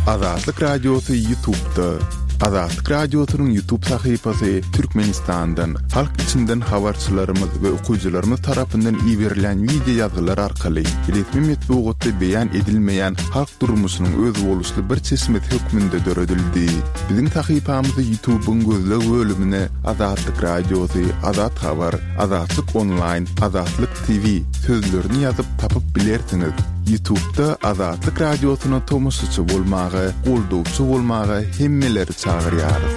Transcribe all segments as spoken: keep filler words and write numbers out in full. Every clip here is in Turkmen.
Azatlyk Radiosy YouTube'da. Azatlyk Radiosynyň YouTube sahypasy Türkmenistandan, halk içinden habarçylarymyz we okyjylarymyz tarapyndan iberilen wideo ýazgylar arkaly resmi metbugatda beýan edilmeýän halk durmuşynyň özboluşly bir çeşmesi hökmünde döredildi. Biziň sahypamyzy YouTube'yň gözleg bölümine Azatlyk Radiosy, Azat Habar, Azatlyk Online, Azatlyk T V sözlerini ýazyp tapyp bilersiňiz. YouTube'da Azatlyk Radiosyna tomaşaçy bolmaga, goldawçy bolmaga hemmeleri çagyrýarys.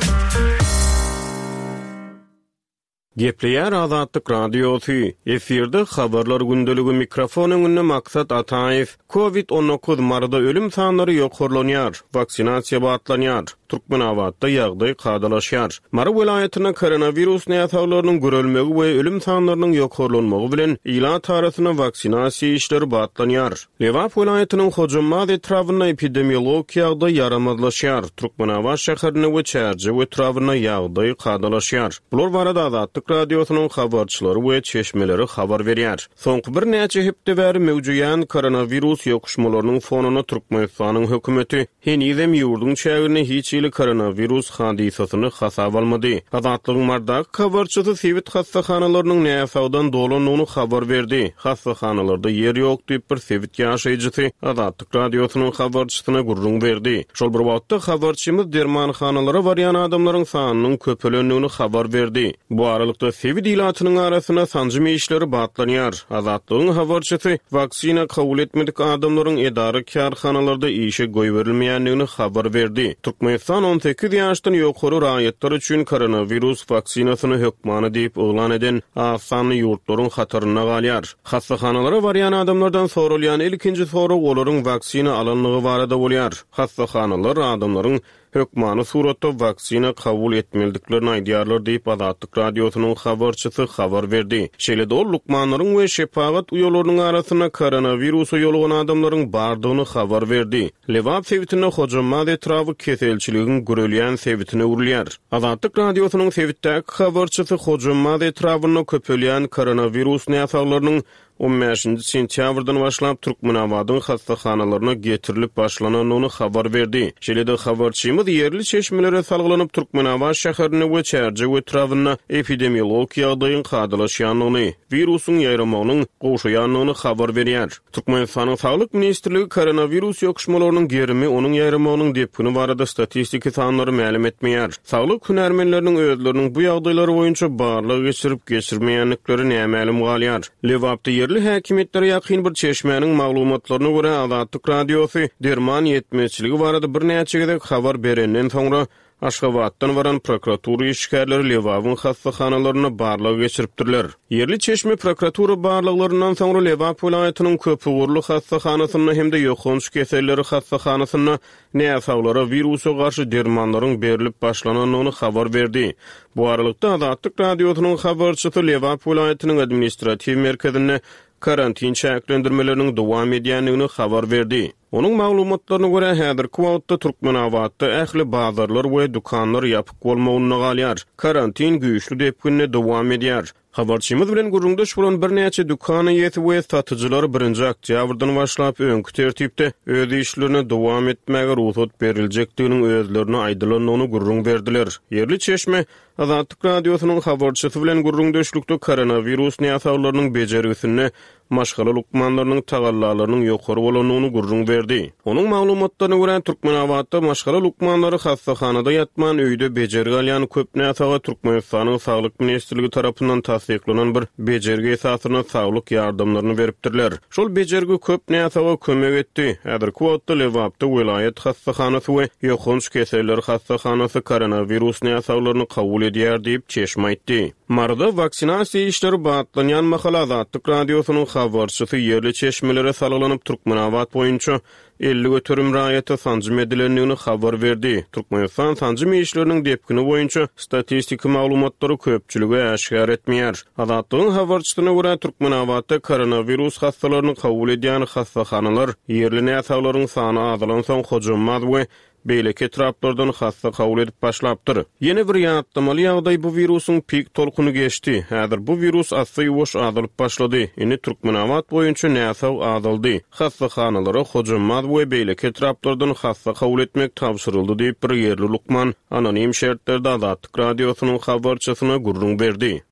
Gepleýär Azatlyk Radiosy. Efirde habarlar gündeligi, mikrofon öňünde Maksat Ataýew. Covid on dokuz Maryda ölüm sanlary ýokarlanýar, waksinasiýa batlanýar. Türkmenabatda ýagdaý kadalaşýar. Mary welaýatynda koronawirus näsaglarynyň görülmegi we ölüm sanlarynyň ýokarlanmagy bilen ilat arasynda waksinasiýa işleri batlanýar. Lebap welaýatynyň Hojambaz etrabynda epidemiologik ýagdaý ýaramazlaşýar. Türkmenabat şäherinde we Çärjew etrabynda ýagdaý kadalaşýar. Bular barada Azatlyk Radiosynyň habarçylary we çeşmeleri habar berýär. Soňky birnäçe hepde bäri mewjuýan koronawirus ýokuşmalarynyň fonunda Türkmenistanyň hökümeti henizem ýurduň çäginde hiç hili koronawirus hadysasyny hasap almady. Azatlygyň Mardaky habarçysy sebit hassahanalarynyň näsagdan dolandygyny habar berdi. Hassahanalarda ýer ýok diýip bir sebit ýaşaýjysy Azatlyk Radiosynyň habarçysyna gürrüň berdi. Şol bir wagtda habarçymyz dermanhanalara barýan adamlaryň sanynyň köpelendigini habar berdi. Bu aralykda sebit ilatynyň arasynda sanjym işleri batlanýar. Azatlygyň habarçysy waksina kabul etmedik adamlaryň edara kärhanalarda işe goýberilmeýändigini habar berdi. Türkmenistan on sekiz ýaşdan ýokary raýatlar üçin koronawirus waksinasyny hökmany diýip yglan eden az sanly ýurtlaryň hatarynda galýar. Hassahanalara barýan adamlardan sorulýan ilkinji sorag olaryň waksina alanlygy barada bolýar. Hassahanalar adamlaryň hökmany suratda waksina kabul etmelidiklerini aýdýarlar diýip Azatlyk Radiosynyň habarçysy habar berdi. Şeýle-de ol lukmanlaryň we şepagat uýalarynyň arasynda koronawirusa ýolugan adamlaryň bardygyny habar berdi. Lebap sebitinde Hojambaz etraby keselçiligiň görülýän sebitine öwrülýär. Azatlyk Radiosynyň sebitdäki habarçysy Hojambaz etrabynda köpelýän koronawirus näsaglarynyň on bäşinji sentýabrdan başlap Türkmenabadyň hassahanalaryna getirilip başlanandygyny habar berdi. Şeýle-de habarçymyz ýerli çeşmelere salgylanyp Türkmenabat şäherinde we Çärjew etrabynda epidemiologik ýagdaýyň kadalaşýandygyny, wirusyň ýaýramagynyň gowşaýandygyny habar berýär. Türkmenistanyň Saglyk ministrligi koronawirus ýokuşmalarynyň gerimi, onuň ýaýramagynyň depgini barada statistiki sanlary mälim etmeýär. Saglyk hünärmenleriniň özleriniň bu ýagdaýlary boýunça barlag geçirip geçirmeýändikleri nämälim galýar. Lebapda ýerli häkimiýetlere ýakyn bir çeşmäniň maglumatlaryna görä Azatlyk Radiosy derman ýetmezçiligi barada birnäçe gezek habar berenden soňra Aşgabatdan baran prokuratura işgärleri Lebabyň hassahanalarynda barlag geçiripdirler. Ýerli çeşme prokuratura barlaglaryndan soňra Lebap welaýatynyň köpugurly hassahanasynda hem-de ýokanç keselleri hassahanasynda näsaglara wirusa garşy dermanlaryň berilip başlanandygyny habar berdi. Bu aralykda Azatlyk Radiosynyň habarçysy Lebap welaýatynyň administratiw merkezinde karantin çäklendirmeleriniň dowam edýändigini habar berdi. Onuň maglumatlaryna görä häzirki wagtda Türkmenabatda ähli bazarlar we dükanlar ýapyk bolmagynda galýar. Karantin güýçli depginde dowam edýär. Habarçymyz bilen gürrüňdeş bolan birnäçe dükan eýesi we satyjylar birinji oktýabrdan başlap öňki tertipde öz işlerine dowam etmäge rugsat beriljekdiginiň özlerine aýdylandygyny gürrüň berdiler. Ýerli çeşme Azatlyk Radiosynyň habarçysy bilen gürrüňdeşlikde koronawirus näsaglarynyň bejergisinde maşgala lukmanlarynyň tagallalarynyň ýokary bolandygyny gürrüň berdi. Onuň maglumatlaryna görä Türkmenabatda maşgala lukmanlary hassahanada ýatman öýde bejergi alýan köp näsaga Türkmenistanyň Saglyk ministrligi tarapyndan tassyklanan bir bejergi esasynda saglyk ýardamlaryny beripdirler. Şol bejergi köp näsaga kömek etdi. Häzirki wagtda Lebapda welaýat hassahanasy we ýokanç keseller hassahanasy koronawirus näsaglaryny kabul edýär diýip çeşme aýtdy. Maryda waksinasiýa işleri batlanýan mahal Azatlyk Radiosynyň habarçysy ýerli çeşmelere salgylanyp Türkmenabat boýunça elli göterim raýata sanjym edilendigini habar berdi. Türkmenistan sanjym işleriniň depgini boýunça statistiki maglumatlary köpçülige äşgär etmeýär. Azatlygyň habarçysyna görä Türkmenabatda koronawirus hassalaryny kabul edýän hassahanalar ýerli näsaglaryň sany azalan soň Hojambaz we beýleki etraplardan hassa kabul edip başlapdyr. Ýene bir ýatlamaly ýagdaý bu wirusyň pik tolkuny geçdi. Häzir bu wirus asly ýuwaş azalyp başlady. Indi Türkmenabat boýunça näsag azaldy. Hassahanalara Hojambaz we beýleki etraplardan hassa kabul etmek tabşyryldy diýip bir ýerli lukman anonim şertlerde Azatlyk radiosynyň habarçysyna gürrüň berdi.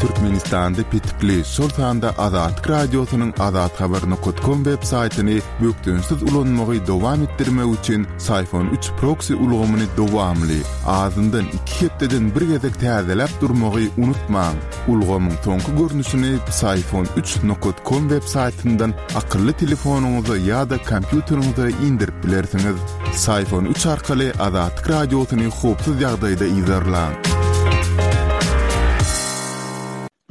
Türkmenistanda petikli, şol sanda Azatlyk radiosynyň azathabar.com web saýtyny bökdençsiz ulanmagy dowam etdirmek üçin Syfon üç proxy ulgamyny dowamly, azyndan iki hepdeden bir gezek täzeläp durmagy unutmaň. Ulgamyň soňky görnüşini Syfon üç nokta com web saýtyndan akylly telefonyňyza ýa-da kompýuteriňize indirip bilersiňiz. Syfon üç arkaly Azatlyk radiosyny howpsuz ýagdaýda yzarlaň.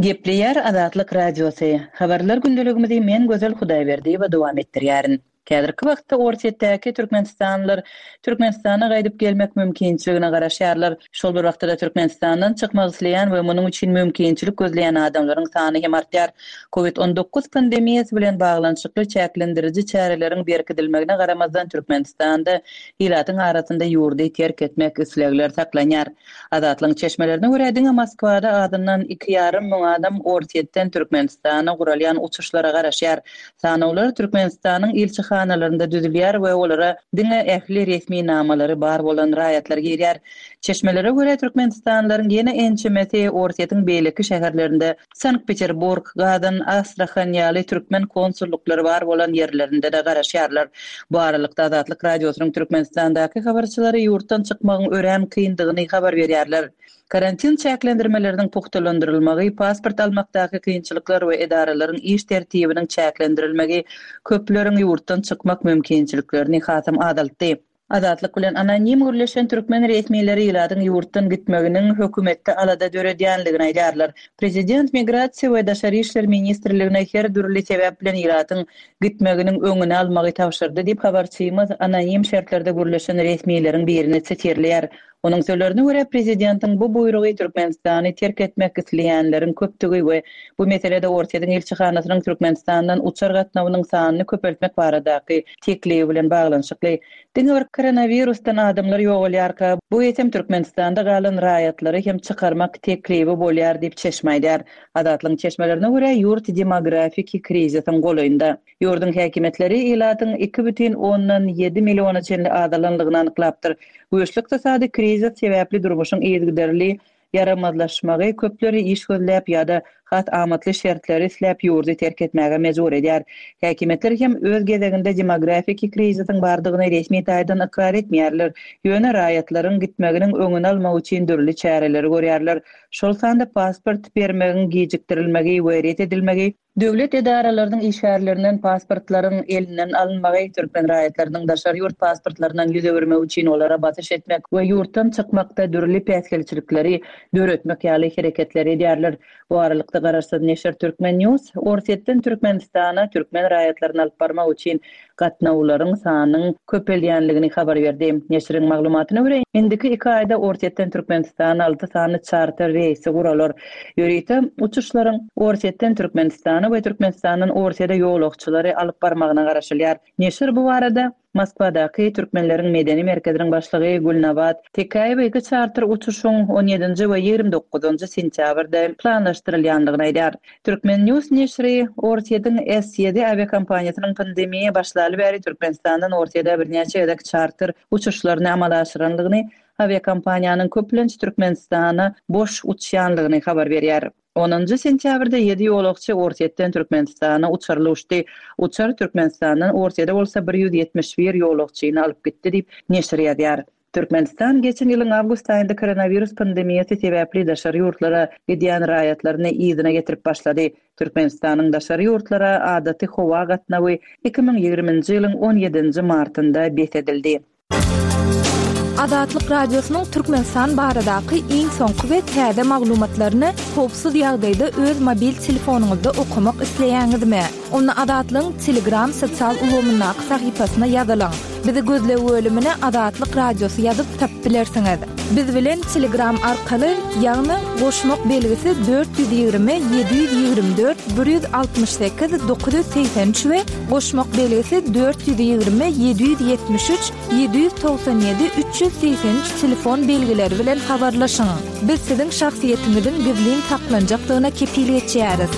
Gepleýär Azatlyk Radiosy. Habarlar gündeligimizi men Gözel Hudaýberdiýewa dowam etdirýärin. Häzirki wagtda Orsýetdäki Türkmenistanlylar Türkmenistana gaýdyp gelmek mümkinçiligine garaşýarlar. Şol bir wagtda Türkmenistandan çykmak isleýän we munuň üçin mümkinçilik gözleýän adamlaryň sany hem artýar. Covid on dokuz pandemiýasy bilen baglanyşykly çäklendiriji çäreleriň berkidilmegine garamazdan Türkmenistanda ilatyň arasynda ýurdy terk etmek islegler saklanýar. Azatlygyň çeşmelerine görä diňe Moskwada adyndan iki ýarym müň adam Orsýetden Türkmenistana guralýan uçuşlara garaşýar. Sanawlar Türkmenistanyň ilçihanalarynda düzülýär we olara diňe ähli resmi namalary bar bolan raýatlar girýär. Çeşmelere görä Türkmenistanlylaryň ýene ençemesi Orsýetiň beýleki şäherlerinde Sankt-Peterburg, Gazan, Astrahan ýaly türkmen konsulluklary bar bolan ýerlerinde de garaşýarlar. Bu aralykda Azatlyk Radiosynyň Türkmenistandaky habarçylary ýurtdan çykmagyň örän kyndygyny habar berýärler. Karantin çäklendirmeleriniň pugtalandyrylmagy, pasport almakdaky kynçylyklar we edaralaryň iş tertibiniň çäklendirilmegi köpleriň ýurtdan çykmak mümkinçiliklerini hasam azaltdy. Azatlyk bilen anonim gürleşen türkmen resmileri ilatyň ýurtdan gitmeginiň hökümetde alada döredýänligini aýdarlar. Prezident Migrasiýa we Daşary işler ministrligine her dürli sebäp bilen ilatyň gitmeginiň öňüni almagy tabşyrdy diýip habarçymyz anonim şertlerde gürleşen resmileriň birini sitirleýär. Onuň sözlerine görä prezidentiň bu buýrugy Türkmenistany terk etmek isleýänleriň köpdügi we bu meselede Orsýetiň ilçihanasynyň Türkmenistandan uçar gatnawynyň sanyny köpeltmek baradaky teklibi bilen baglanyşykly. Diňe bir koronavirusdan adamlar ýogalýarka, bu eýsem Türkmenistanda galan raýatlary hem çykarmak teklibi bolýar diýip çeşme aýdar. Azatlygyň çeşmelerine görä ýurt demografiki krizisiň golaýynda. Ýurduň häkimiýetleri ilatyň iki bütin ondan ýedi milliona çenli azalanlygyny anyklapdyr. Güýçli ykdysady krizis sebäpli durmuşyň yzygiderli ýaramazlaşmagy köpleri iş gözläp ýa-da has amatly şertleri isläp ýurdy terk etmäge mejbur edýär. Häkimiýetler hem öz gezeginde demografiki krizisiň bardygyny resmi taýdan ykrar etmeýärler. Ýöne raýatlaryň gitmeginiň öňüni almak üçin dürli çäreleri görýärler. Şol sanda pasport bermegiň gijikdirilmegi we ret edilmegi, döwlet edaralarynyň işgärlerinden pasportlaryň elinden alynmagy, türkmen raýatlarynyň daşary ýurt pasportlaryndan ýüz öwürmek üçin olara basyş etmek we ýurtdan çykmakda dürli päsgelçilikleri döretmek ýaly hereketler edýärler. Bu aralykda garaşsyz neşir Türkmen News Orsýetden Türkmenistana türkmen raýatlaryny alyp barmak üçin gatnawlaryň sanynyň köpelýänligini habar berdi. Neşiriň maglumatyna görä, indiki iki aýda Orsýetden Türkmenistana alty sany çarter reýsi guralar. Ýörite uçuşlaryň Orsýetden Türkmenistana we Türkmenistandan Orsýete ýolagçylary alyp barmagyna garaşylýar. Neşir bu barada Moskwadaky Türkmenleriň medeni merkeziniň başlygy Gülnabat Tekäýewa iki çarter uçuşyň on ýedinji we ýigrimi dokuzynjy sentýabrda planlaşdyrylýandygyny aýdar. Türkmen News neşiri Orsýetiň S ýedi awiakompaniýasynyň pandemiýa başlaly bäri Türkmenistandan Orsýete birnäçe gezek çarter uçuşlaryny amala aşyrandygyny, awiakompaniýanyň köplenç Türkmenistana boş uçýanlygyny habar berýär. Onuncu sentýabrda ýedi ýolagçy Orsýetden Türkmenistana uçarly uçdy. Uçar Türkmenistandan Orsýete bolsa bir ýüz ýetmiş bir ýolagçyny alyp gitdi diýip neşir ýazýar. Türkmenistan geçen ýylyň awgust aýynda koronavirus pandemiýasy sebäpli daşary ýurtlara gidýän raýatlaryny yzyna getirip başlady. Türkmenistanyň daşary ýurtlara adaty howa gatnawy iki müň ýigriminji ýylyň on ýedinji martynda bes edildi. Azatlyk Radiosynyň Türkmenistan baradaky iň soňky we täze maglumatlaryny howpsuz ýagdaýda öz mobil telefonyňyzda okamak isleýäňizmi? Onda Azatlygyň Telegram sosial ulgamyndaky sahypasyna ýazylyň. Bizi gözleg bölümine Azatlyk Radiosy ýazyp tapyp bilersiňiz. Biz bilen Telegram arkaly, ýagny goşmak belgisi dört ýüz ýigrimi ýedi ýüz ýigrimi dört bir ýüz altmyş sekiz dokuz ýüz segsen üç we goşmak belgisi dört ýüz ýigrimi ýedi ýüz ýetmiş üç ýedi ýüz togsan ýedi üç ýüz segsen üç telefon belgileri bilen habarlaşyň. Biz siziň şahsyýetiňiziň gizlin saklanjakdygyna kepil geçýäris.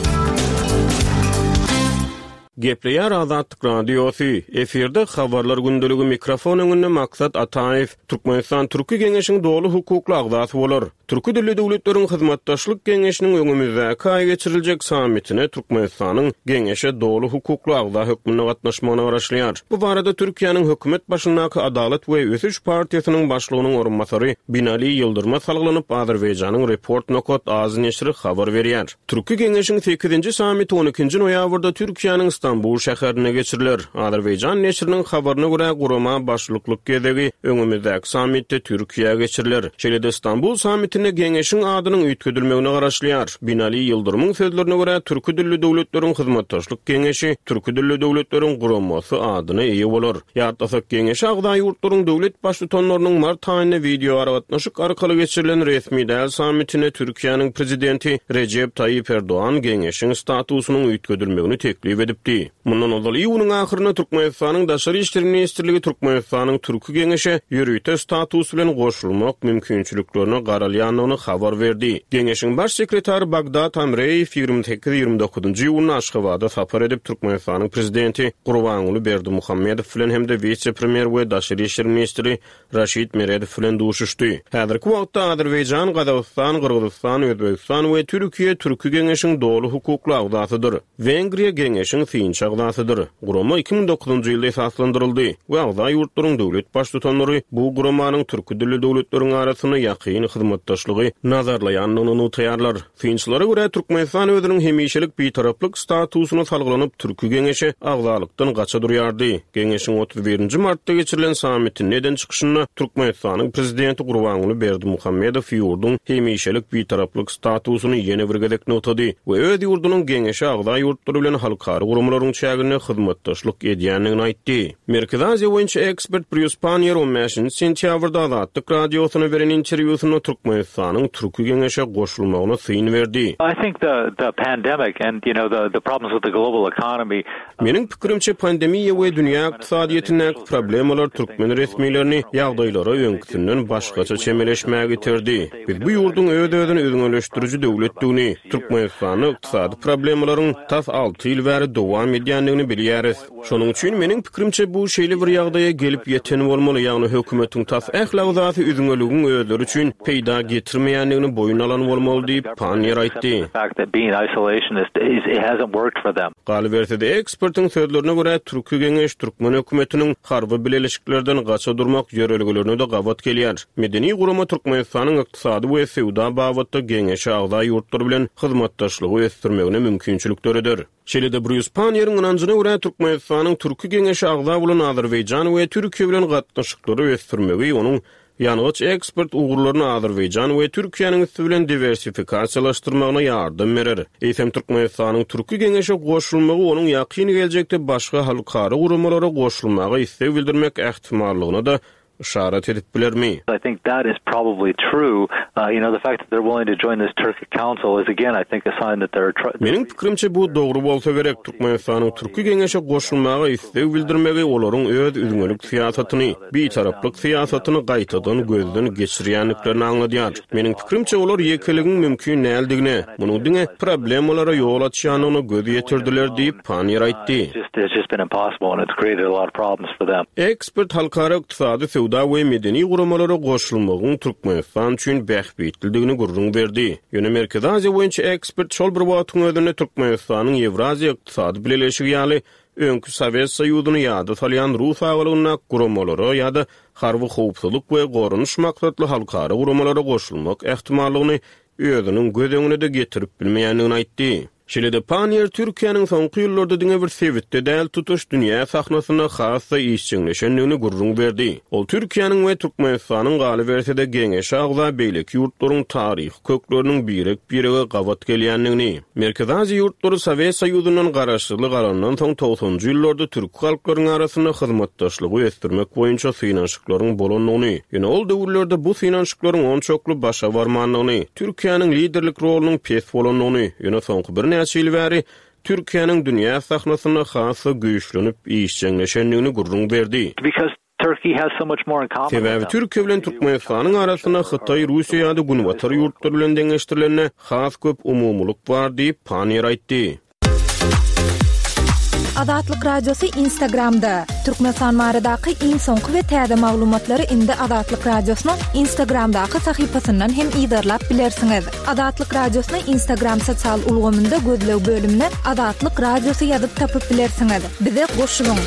Gepleýär Azatlyk Radiosy, efirde habarlar gündeligi mikrofon öňünde Maksat Ataýew, Türkmenistan Türki Geňeşiň doly hukukly agzasy bolar. Türki dilli döwletleriň hyzmatdaşlyk geňeşiniň öňümizdäki aý geçiriljek sammitine Türkmenistanyň geňeşe doly hukukly agza hökmünde gatnaşmagyna garaşylýar. Bu barada Türkiýäniň hökümet başyndaky Adalat we Ösüş partiýasynyň başlygynyň orunbasary Binali Ýyldyryma salgylanyp Azerbaýjanyň Report nokat az neşiri habar berýär. Türki Geňeşiň sekizinji sammiti on ikinji noýabrda Türkiýäniň Stambul şäherinde geçiriler. Azerbaýjan neşiriniň habaryna görä gurama başlyklyk gezegi öňümizdäki sammitde Türkiýä geçiriler. Şeýle-de Stambul sammitinde geňeşiň adynyň üýtgedilmegine garaşylýar. Binali Ýyldyrymyň sözlerine görä Türki dilli döwletleriň hyzmatdaşlyk geňeşi Türki dilli döwletleriň guramasy adyna eýe bolar. Ýatlasak geňeşi agza ýurtlaryň döwlet baştutanlarynyň mart aýynda wideo aragatnaşyk arkaly geçirilen resmi däl sammitine Türkiýäniň prezidenti Rejep Tayyip Erdoğan geňeşiň statusynyň üýtgedilmegini teklip edipdi. Mundan ozal iýunyň ahyrynda Türkmenistanyň Daşary işler ministrligi Türkmenistanyň Türki Geňeşe ýörite status bilen goşulmak mümkinçiliklerine garalýandygyny habar berdi. Geňeşiň baş sekretary Bagdad Amreýew ýigrimi sekiz ýigrimi dokuzynjy iýunda Aşgabada sapar edip Türkmenistanyň prezidenti Gurbanguly Berdimuhamedow bilen hem-de wise-premýer we daşary işler ministri Raşid Meredow bilen duşuşdy. Häzirki wagtda Azerbaýjan, Gazagystan, Gyrgyzystan, Özbegistan we Türkiýe Türki Geňeşiň doly hukukly agzasydyr. Wengriýa Geňeşiň synçy agzasydyr. Gurama iki müň dokuzynjy ýylda esaslandyryldy we agza ýurtlaryň döwlet baştutanlary bu guramanyň türki dilli döwletleriň arasynda ýakyn hyzmatdaşlygy nazarlaýandygyny nygtaýarlar. Synçylara görä Türkmenistan özüniň hemişelik bitaraplyk statusyna salgylanyp Türki Geňeşe agzalykdan gaça durýardy. Geňeşiň otuz birinji martda geçirilen sammitinde eden çykyşynda Türkmenistanyň prezidenti Gurbanguly Berdimuhamedow ýurduň hemişelik bitaraplyk statusyny ýene bir gezek nygtady we öz ýurdunyň geňeşe agza ýurtlary bilen halkara guramalaryň çäginde hyzmatdaşlyk edýändigini aýtdy. Merkezi Aziýa boýunça ekspert Brýus Pannier on bäşinji sentýabrda Azatlyk Radiosyna beren interwýusynda Türkmenistanyň Türki Geňeşe goşulmagyna syn berdi. I think the, the pandemic and, you know, the, the problems with the global economy. Meniň pikirimçe pandemiýa we dünýä ykdysadyýetindäki problemalar türkmen resmilerini ýagdaýlara öňküsinden başgaça çemeleşmäge iterdi. Biz bu ýurduň öz-özüni üzňeleşdiriji döwletdigini, Türkmenistanda ykdysady problemalaryň tas alty ýyl bäri dowam edýändigini bilýäris. Şonuň üçin meniň pikirimçe bu şeýle bir ýagdaýa gelip ýeten bolmaly, ýagny hökümetiň tas ähli agzasy üzňeligiň özleri üçin peýda getirmeýändigini boýun alan bolmaly diýip Pannier aýtdy. Galyberse-de ekspertiň sözlerine görä Türki Geňeş Türkmen hökümetiniň harby bileleşiklerden gaça durmak ýörelgelerine-de gabat gelýär. Medeni gurama Türkmenistanyň ykdysady we söwda babatda geňeşe agza ýurtlar bilen hyzmatdaşlygy ösdürmegine mümkinçilik döreder. Şeýle-de Brýus Pannieriň ynanjyna görä Türkmenistanyň Türki Geňeşe agza bolan Azerbaýjan we Türkiýe bilen gatnaşyklary ösdürmegi onuň ýangyç eksport ugurlaryny Azerbaýjan we Türkiýäniň üsti bilen diwersifikasiýalaşdyrmagyna ýardam berer. Eýsem Türkmenistanyň Türki Geňeşe goşulmagy onuň ýakyn geljekde başga halkara guramalara goşulmaga isleg bildirmek ähtimallygyna-da yşarat edip bilermi? I think that is probably true. Uh, you know, the fact that they're willing to join this Turkic Council is again, I think, a sign that they're Meniň pikirimçe bu dogry bolsa gerek. Türkmenistanyň Türki Geňeşe goşulmaga isleg bildirmegi olaryň öz üzňelik syýasatyny, bitaraplyk syýasatyny gaýtadan gözden geçirýändiklerini aňladýar. Meniň pikirimçe olar ýekeligiň mümkin däldigine, munuň diňe problemalara ýol açýandygyna göz ýetirdiler diýip Pannier aýtdy. It's just been impossible and it's created a lot of problems for them. Ekspert halkara ykdysady söwda we medeni guramalara goşulmagyň Türkmenistan üçin bähbitlidigini gürrüň berdi. Ýöne Merkezi Aziýa boýunça ekspert şol bir wagtyň özünde Türkmenistanyň Ýewraziýa ykdysady bileleşigi ýaly öňki Sowet Soýuzyny ýada salýan Rus agalygynda guramalara ýa-da harby howpsuzlyk we goranyş maksatly halkara guramalara goşulmak ähtimallygyny özüniň göz öňüne-de getirip bilmeýändigini aýtdy. Şeýle-de Panniýer Türkiýäniň soňky ýyllarda diňe bir sebitde däl, tutuş dünýä sahnasynda has-da işjeňleşendigini gürrüň berdi. Ol Türkiýäniň we Türkmenistanyň galyberse-de geňeşe agza beýleki ýurtlaryň taryhy kökleriniň birek-birege gabat gelýändigini, Merkezi Aziýa ýurtlary Sowet Soýuzyndan garaşsyzlyk alandan soň togsanjy ýyllarda türki halklaryň arasynda hyzmatdaşlygy ösdürmek boýunça synanyşyklaryň bolandygyny, ýöne ol döwürlerde bu synanyşyklaryň onçakly başa barmandygyny, Türkiýäniň liderlik rolunyň pes bolandygyny, ýöne soňky birnäçe ýyl bäri Türkiýäniň dünýä sahnasynda has-da güýçlenip işjeňleşendigini gürrüň berdi. Because Turkey has so much more in common with Sebäbi them. Türkiýe bilen Türkmenistanyň arasynda Hytaý, Russiýa ýa-da Günbatar ýurtlary bilen deňeşdirilende has köp umumylyk bar diýip Panniýer aýtdy. Azatlyk Radiosy Instagramda. Türkmenistan baradaky iň soňky we täze maglumatlary indi Azatlyk Radiosynyň Instagramdaky sahypasyndan hem yzarlap bilersiňiz. Azatlyk Radiosyny Instagram sosial ulgamynda gözleg bölümine Azatlyk Radiosy ýazyp tapyp bilersiňiz. Bize goşulyň.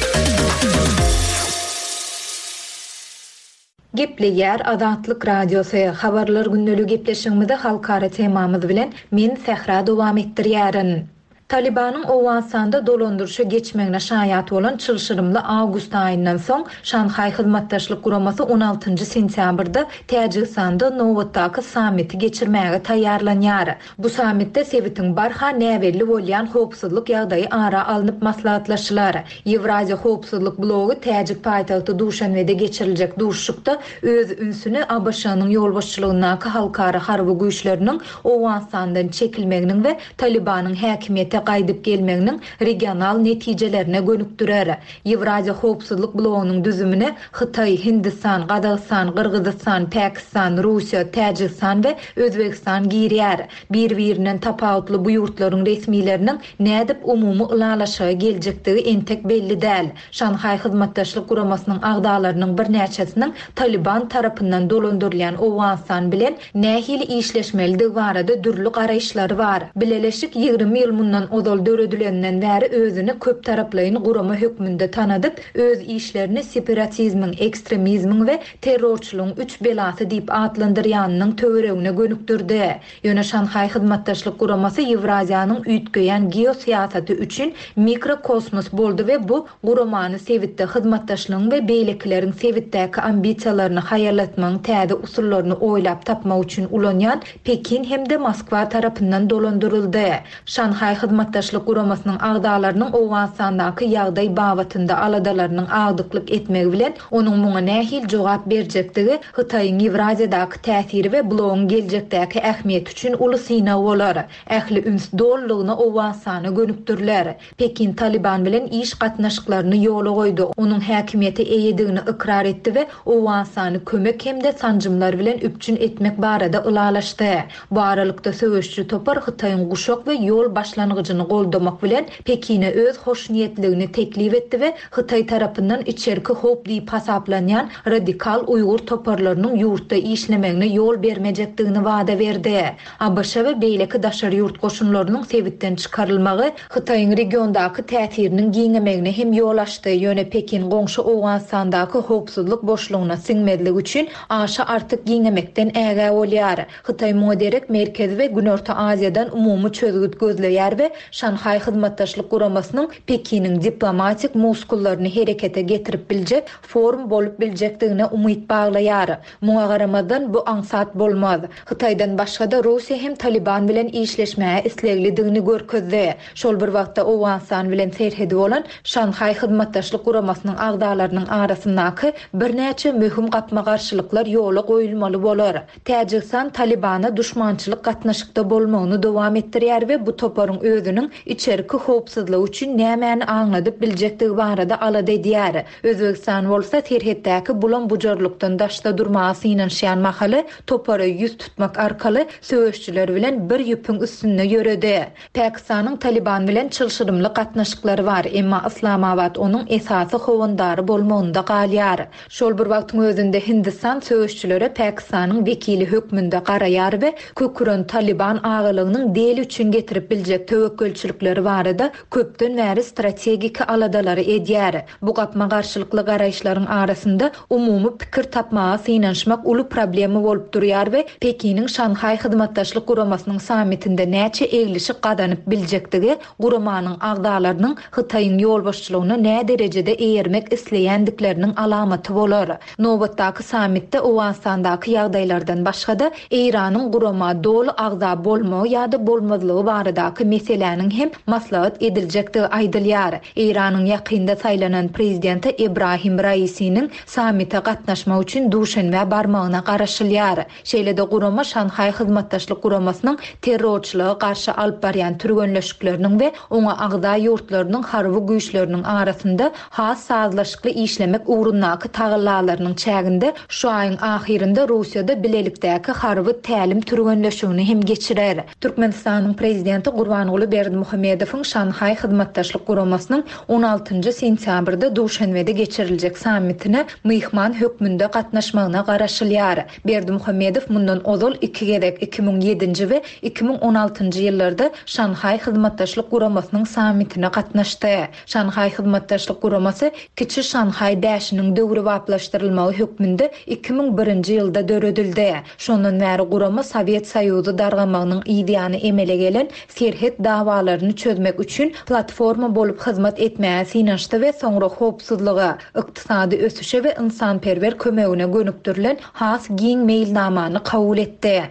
Gepleýär Azatlyk Radiosy. Habarlar gündeligi gepleşigimizi halkara temamyz bilen men Sähra dowam etdirýärin. Talibanyň Owganystanda dolandyryşa geçmegine şaýat bolan çylşyrymly awgust aýyndan soň Şanhaý Hyzmatdaşlyk Guramasy on altynjy sentýabrda Täjigistanda nobatdaky sammiti geçirmäge taýýarlanýar. Bu sammitde sebitiň barha näbelli bolýan howpsuzlyk ýagdaýy ara alnyp maslahatlaşylar. Ýewraziýa howpsuzlyk blogy Täjik paýtagty Duşanbede geçiriljek duşuşykda öz ünsüni A B Ş-nyň ýolbaşçylygyndaky halkara harby güýçleriniň Owganystandan çekilmeginiň we Talibanyň häkimiýete gaýdyp gelmeginiň regional netijelerine gönükdirer. Ýewraziýa howpsuzlyk blogynyň düzümine Hytaý, Hindistan, Gazagystan, Gyrgyzystan, Pakistan, Russiýa, Täjigistan we Özbegistan girýär. Bir-birinden tapawutly bu ýurtlaryň resmileriniň nädip umumy ylalaşyga geljekdigi entek belli däl. Şanhaý Hyzmatdaşlyk Guramasynyň agzalarynyň birnäçesiniň Taliban tarapyndan dolandyrylýan Owganystan bilen nähili işleşmelidigi barada dürli garaýyşlary bar. Bileleşik ýigrimi ýyl mundan ozal döredilenden bäri özüni köp taraplaýyn gurama hökmünde tanadyp, öz işlerini separatizmiň, ekstremizmiň we terrorçylygyň üç belasy diýip atlandyrýanynyň töweregine gönükdirdi. Ýöne Şanhaý Hyzmatdaşlyk Guramasy Ýewraziýanyň üýtgeýän geosyýasaty üçin mikrokosmos boldy we bu guramany sebitde hyzmatdaşlygyň we beýlekileriň sebitdäki ambisiýalaryny haýallatmagyň täze usullaryny oýlap tapmak üçin ulanýan Pekin hem-de Moskwa tarapyndan dolandyryldy. Şanhaý Hyzmatdaşlyk Guramasynyň agzalarynyň Owganystandaky ýagdaý babatynda aladalarynyň agdyklyk etmegi bilen onuň muňa nähili jogap berjekdigi Hytaýyň Ýewraziýadaky täsiri we blogyň geljekdäki ähmiýeti üçin uly synag bolar. Ähli üns dolulygyna Owganystana gönükdiriler. Pekin Taliban bilen iş gatnaşyklaryny ýola goýdy. Onuň häkimiýeti eýedigini ykrar etdi we Owganystany kömek hem-de sanjymlar bilen üpjün etmek barada ylalaşdy. Bu aralykda söweşçi topar Hytaýyň guşak we ýol başlangyjyny goldamak bilen Pekine öz hoşniýetligini teklip etdi we Hytaý tarapyndan içerki howp diýip hasaplanýan radikal Uýgur toparlarynyň ýurtda işlemegine ýol bermejekdigini wada berdi. A B Ş we beýleki daşary ýurt goşunlarynyň sebitden çykarylmagy Hytaýyň regiondaky täsiriniň giňemegine hem ýol açdy. Ýöne Pekin goňşy Owganystandaky howpsuzlyk boşlugyna siňmezlik üçin aşa artyk giňemekden ägä bolýar. Hytaý muňa derek Merkezi we Günorta Aziýadan umumy çözgüt gözleýär we Şanhaý Hyzmatdaşlyk Guramasynyň Pekiniň diplomatik muskullaryny herekete getirip biljek forum bolup biljekdigine umyt baglaýar. Muňa garamazdan bu aňsat bolmaz. Hytaýdan başga-da Russiýa hem Taliban bilen işleşmäge isleglidigini görkezdi. Şol bir wagtda Owganystan bilen serhedi bolan Şanhaý Hyzmatdaşlyk Guramasynyň agzalarynyň arasyndaky birnäçe möhüm gapma-garşylyklar ýola goýulmaly bolar. Täjigistan Talibana duşmançylyk gatnaşykda bolmagyny dowam etdirýär we bu toparyň özüniň içerki howpsuzlygy üçin nämäni aňladyp biljekdigi barada alada edýär. Özbegistan bolsa serhetdäki bulam bujarlykdan daşda durmaga synanyşýan mahaly topara ýüz tutmak arkaly söweşçiler bilen bir ýüpüň üstünde ýöredi. Pakistanyň Taliban bilen çylşyrymly gatnaşyklary bar, emma Islamabad onuň esasy howandary bolmagynda galýar. Şol bir wagtyň özünde Hindistan söweşçilere Pakistanyň wekili hökmünde garaýar we köküren Taliban agalygynyň Deli üçin getirip biljek töwekgelçiliklerini töwekgelçilikleri barada köpden bäri strategik aladalary edýär. Bu gapma-garşylykly garaýyşlaryň arasynda umumy pikir tapmaga synanyşmak uly problema bolup durýar we Pekiniň Şanhaý Hyzmatdaşlyk Guramasynyň sammitinde näçe eglişik gazanyp biljekdigi guramanyň agzalarynyň Hytaýyň ýolbaşçylygyna nä derejede eýermek isleýändikleriniň alamaty bolar. Nobatdaky sammitde Owganystandaky ýagdaýlardan başga-da Eýranyň gurama doly agza bolmagy ýa-da bolmazlygy baradaky meseläniň hem maslahat ediljekdigi aýdylýar. Eýranyň ýakynda saýlanan prezidenti Ebrahim Raisiniň sammite gatnaşmak üçin Duşenbä barmagyna garaşylýar. Şeýle-de gurama Şanhaý Hyzmatdaşlyk Guramasynyň terrorçylyga garşy alyp barýan türgenleşikleriniň we oňa agza ýurtlarynyň harby güýçleriniň arasynda has sazlaşykly işlemek ugrundaky tagallalarynyň çäginde şu aýyň ahyrynda Russiýada bilelikdäki harby tälim türgenleşigini hem geçirer. Türkmenistanyň prezidenti Gurbanguly Berdimuhamedowyň Şanhaý Hyzmatdaşlyk Guramasynyň on altynjy sentýabrda Duşenbede geçiriljek sammitine myhman hökmünde gatnaşmagyna garaşylýar. Berdimuhamedow mundan ozal iki gezek iki müň ýedinji we iki müň on altynjy ýyllarda Şanhaý Hyzmatdaşlyk Guramasynyň sammitine gatnaşdy. Şanhaý Hyzmatdaşlyk Guramasy Kiçi Şanhaý bäşiniň döwrebaplaşdyrylmagy hökmünde iki müň birinji ýylda döredildi. Şondan bäri gurama Sowet Soýuzy dargamagynyň ýany emele gelen serhet dawalaryny çözmek üçin platforma bolup hyzmat etmäge synanyşdy we soňra howpsuzlyga, ykdysady ösüşe we ynsanperwer kömegine gönükdirilen has giň meýilnamany kabul etdi.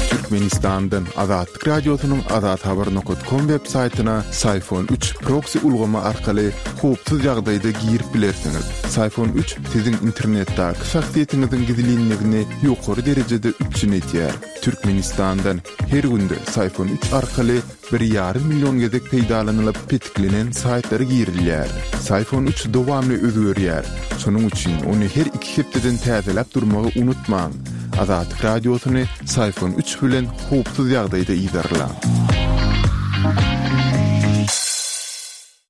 Türkmenistandan Azatlyk Radiosynyň azathabar nokta com web saýtyna Syfon üç proxy ulgamy arkaly howpsuz ýagdaýda girip bilersiňiz. Syfon üç siziň internetdäki şahsyýetiňiziň gizlinligini ýokary derejede üpjün edýär. Türkmenistandan her günde Syfon üç arkaly bir ýarym million gezek peýdalanylyp petiklenen saýtlara girilýär. Syfon üç dowamly özgerýär. Şonuň üçin ony her iki hepdeden täzeläp durmagy unutmaň. Azatlyk Radiosyny Syfon üç bilen howpsuz ýagdaýda ýerleň.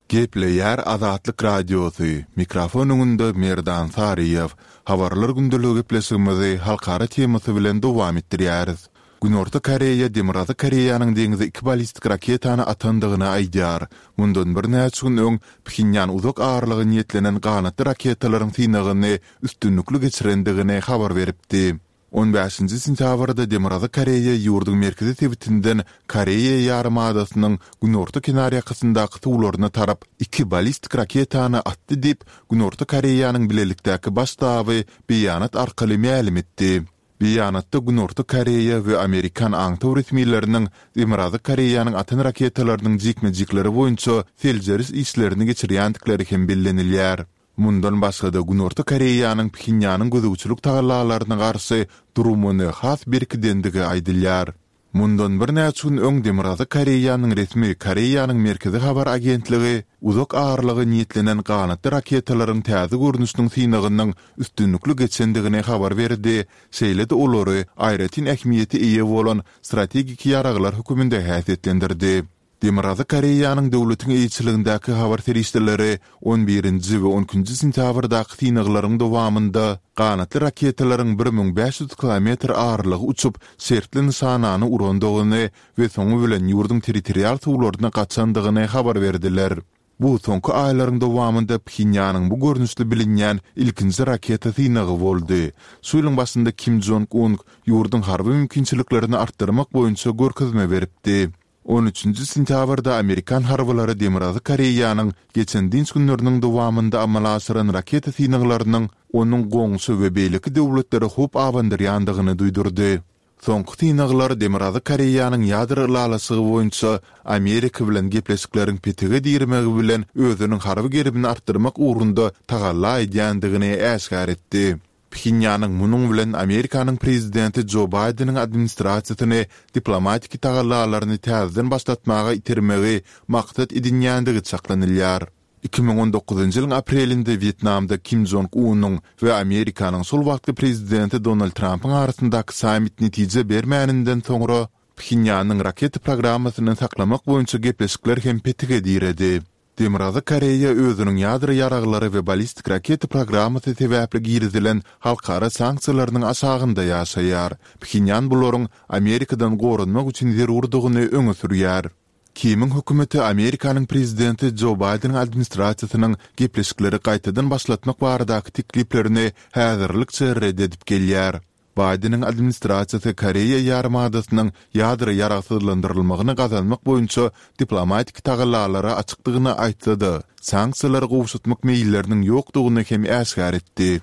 Gepleýär Azatlyk Radiosy. Mikrofon öňünde Merdan Saryýew. Habarlar gündeligi gepleşigimizi halkara temasy bilen dowam etdirýäris. Günorta Koreýa Demirgazyk Koreýanyň deňize iki ballistik raketany atandygyny aýdýar. Mundan birnäçe gün öň Phenýan uzak aralyga niýetlenen ganatly raketalaryň synagyny üstünlikli geçirendigini habar beripdi. On bäşinji sentýabrda Demirgazyk Koreýa ýurduň merkezi sebitinden Koreýa ýarymadasynyň günorta kenarýakasyndaky suwlaryna tarap iki ballistik raketany atdy diýip, Günorta Koreýanyň bilelikdäki baş ştaby beýanat arkaly mälim etdi. Beýanatda Günorta Koreýa we Amerikan aňtaw resmileriniň Demirgazyk Koreýanyň atan raketalarynyň jikme-jikleri boýunça seljeriş işlerini geçirýändikleri hem bellenilýär. Mundan başga-da Günorta Koreýanyň Phenýanyň gözegçilik tagallalaryna garşy durumyny has berkidendigi aýdylýar. Mundan birnäçe gün öň Demirgazyk Koreýanyň resmi Koreýanyň Merkezi Habar Agentligi uzak aralyga niýetlenen ganatly raketalaryň täze görnüşiniň synagynyň üstünlikli geçendigini habar berdi, şeýle-de olary aýratyn ähmiýete eýe bolan strategik ýaraglar hökmünde häsiýetlendirdi. Demirgazyk Koreýanyň döwletiň eýeçiligindäki habar serişdeleri on birinji we on ikinji sentýabrdaky synaglaryň dowamynda ganatly raketalaryň bir müň bäş ýüz kilometr aralygy uçup şertli nyşanany urandygyny we soňy bilen ýurduň territorial suwlaryna gaçandygyny habar berdiler. Bu soňky aýlaryň dowamynda Phenýanyň bu görnüşli bilinýän ilkinji raketa synagy boldy. Şu ýylyň başynda Kim Jong-un ýurduň harby mümkinçiliklerini artdyrmak boýunça görkezme beripdi. On üçünji sentýabrda Amerikan harbylary Demirgazyk Koreýanyň geçen dynç günleriniň dowamynda amala aşyran raketa synaglarynyň onuň goňşy we beýleki döwletlere howp abandyrýandygyny duýdurdy. Soňky synaglar Demirgazyk Koreýanyň ýadro ylalaşygy boýunça Amerika bilen gepleşikleriň petige dirmegi bilen özüniň harby gerimini artdyrmak ugrunda tagalla edýändigini äşgär etdi. Phenýanyň munuň bilen Amerikanyň prezidenti Jo Baýdeniň administrasiýasyny diplomatik tagallalaryny täzeden başlatmaga itermegi maksat edinýändigi çaklanylýar. Iki müň on dokuzynjy ýylyň aprelinde Wýetnamda Kim Jong-unyň we Amerikanyň şol wagtky prezidenti Donald Trampyň arasyndaky sammit netije bermäninden soňra Phenýanyň raketa programmasyny saklamak boýunça gepleşikler hem petige diredi. Demirgazyk Koreýa özüniň ýadro ýaraglary we ballistik raketa programmasy sebäpli girizilen halkara sanksiýalarynyň aşagynda ýaşaýar. Phenýan bularyň Amerikadan goranmak üçin zerurdygyny öňe sürýär. Kimiň hökümeti Amerikanyň prezidenti Jo Baýdeniň administrasiýasynyň gepleşikleri gaýtadan başlatmak baradaky tekliplerini häzirlikçe ret edip gelýär. Baýdeniň administrasiýasy Koreýa ýarymadasynyň ýadro ýaragsyzlandyrylmagyny gazanmak boýunça diplomatik tagallalara açykdygyny aýtsa-da, sanksiýalary gowşatmak meýilleriniň ýokdugyny hem äşgär etdi.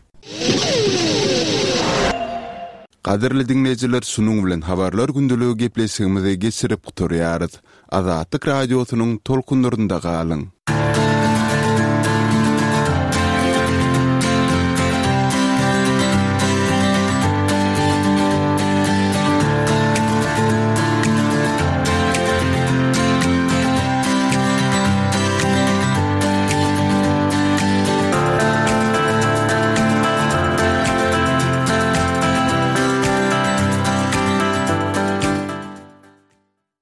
Gadyrly diňleýjiler şunuň bilen Habarlar gündeligi gepleşigimizi geçirip gutarýarys. Azatlyk Radiosynyň tolkunlarynda galyň!